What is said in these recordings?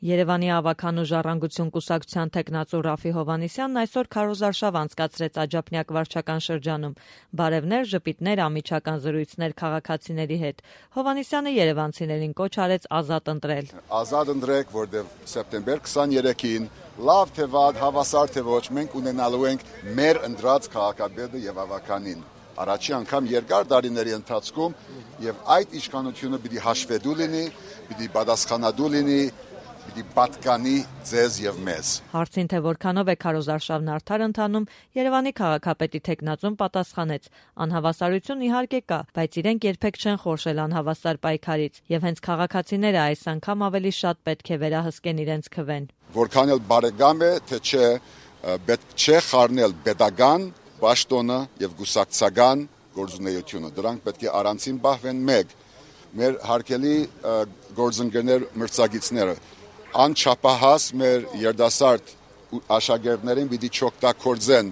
Երևանի ավականու ժառանգություն կուսակցության թեկնածու Ռաֆի Հովհաննիսյանն այսօր քարոզարշավ անցկացրեց Աջափնյակ վարչական շրջանում։ Բարևներ, ժպիտներ, անմիջական զրույցներ քաղաքացիների հետ։ Հովհաննիսյանը երևանցիներին կոչ արեց ազատ ընտրել։ Ազատ ընտրեք, որտեղ սեպտեմբեր 23-ին լավ թե վատ, հավասար թե ոչ, մենք ունենալու ենք մեր ընտրած քաղաքապետը եւ ավականին։ Առաջի անգամ երկար տարիների ընթացքում եւ այդ իշխանությունը պիտի հաշվետու լինի, պիտի պատասխանատու լինի, պիտի պատկանի ձեզ եւ մեզ։ Հարցին, թե որքանով է քարոզարշավն արդար ընթանում, Երևանի քաղաքապետի թեկնածուն պատասխանեց. անհավասարություն իհարկե կա, բայց իրենք երբեք չեն խորշել անհավասար պայքարից եւ հենց քաղաքացիները այս անգամ ավելի շատ պետք է վերահսկեն իրենց քվեն։ Որքան էլ բարեկամ է, թե չէ, պետք չէ խառնել պետական պաշտոնը եւ գուսակցական գործունեությունը։ Դրանք պետք է առանցին պահվեն մեկ։ Մեր հարգելի գործընկերներ մրցակիցները անչափահաս մեր երդասարդ աշակերտներին պիտի չօգտագործեն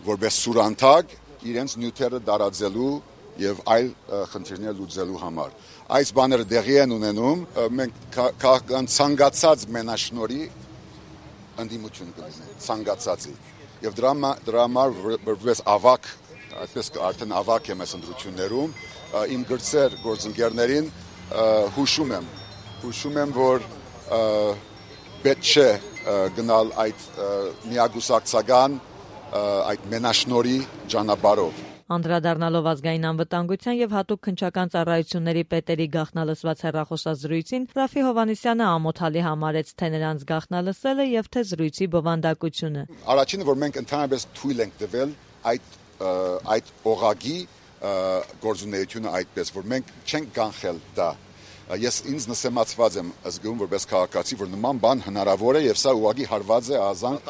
որպես սուրանթակ իրենց նյութերը տարածելու եւ այլ խնդիրներ լուծելու համար։ Այս բաները դեղի են ունենում, մենք քաղաքական ցանկացած մենաշնորհի ընդդիմություն կլինենք, ցանկացածի։ Եվ դրա համար որպես ավակ, այսպես արդեն ավակ եմ այս ընտրություններում, իմ գրծեր գործընկերներին հուշում եմ, որ պետք չէ գնալ այդ միագուսակցական, այդ մենաշնորհի ճանապարհով։ Անդրադառնալով ազգային անվտանգության եւ հատուկ քննչական ծառայությունների պետերի գաղտնալսված հեռախոսազրույցին, Ռաֆի Հովհաննիսյանը ամոթալի համարեց թե նրանց գաղտնալսելը եւ թե զրույցի բովանդակությունը։ Առաջինը, որ մենք ընդհանրապես թույլ ենք տվել այդ օղակի գործունեությունը այդպես, որ մենք չենք կանխել դա։ Ես ինձ նսեմացված եմ զգում որպես քաղաքացի, որ նման բան հնարավոր է եւ սա ուղղակի հարված է ազանք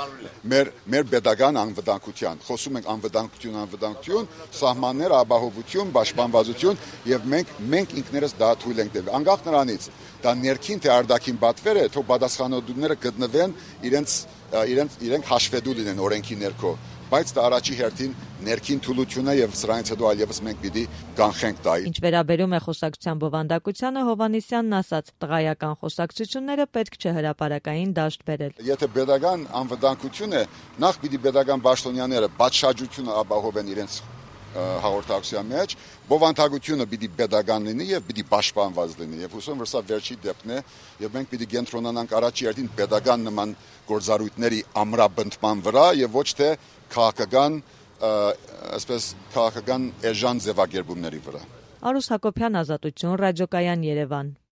մեր պետական անվտանգության։ Խոսում ենք անվտանգություն, սահմաններ, ապահովություն, պաշտպանվածություն եւ մենք ինքներս դա թույլ ենք տվել։ Անկախ նրանից, դա ներքին թե արտաքին պատվեր է, թող պատասխանատուները գտնվեն իրենք հաշվետու լինեն օրենքի ներքո։ Բայց դա առաջի հերթին ներքին թուլությունը եւ սրանից հետո այլևս մենք պիտի կանխենք դա։ Ինչ վերաբերում է խոսակցության բովանդակությանը, Հովհաննիսյանն ասաց. տղայական խոսակցությունները պետք չէ հրապարակային դաշտ բերել։ Եթե պետական անվտանգություն է, նախ պիտի պետական պաշտոնյաները պատշաճությունը ապահովեն իրենց հաղորդակցության մեջ, բովանդակությունը պիտի պետական լինի եւ պիտի պաշտպանված լինի։ Եվ հուսում եմ, որ սա վերջի դեպքն է եւ մենք պիտի կենտրոնանանք առաջի հերթին պետական նման գործառույթների ամրապնդման վրա եւ ոչ թե քաղաքական էժան ձևակերպումների վրա։ Արուս Հակոբյան, Ազատություն, ռադիոկայան, Երևան։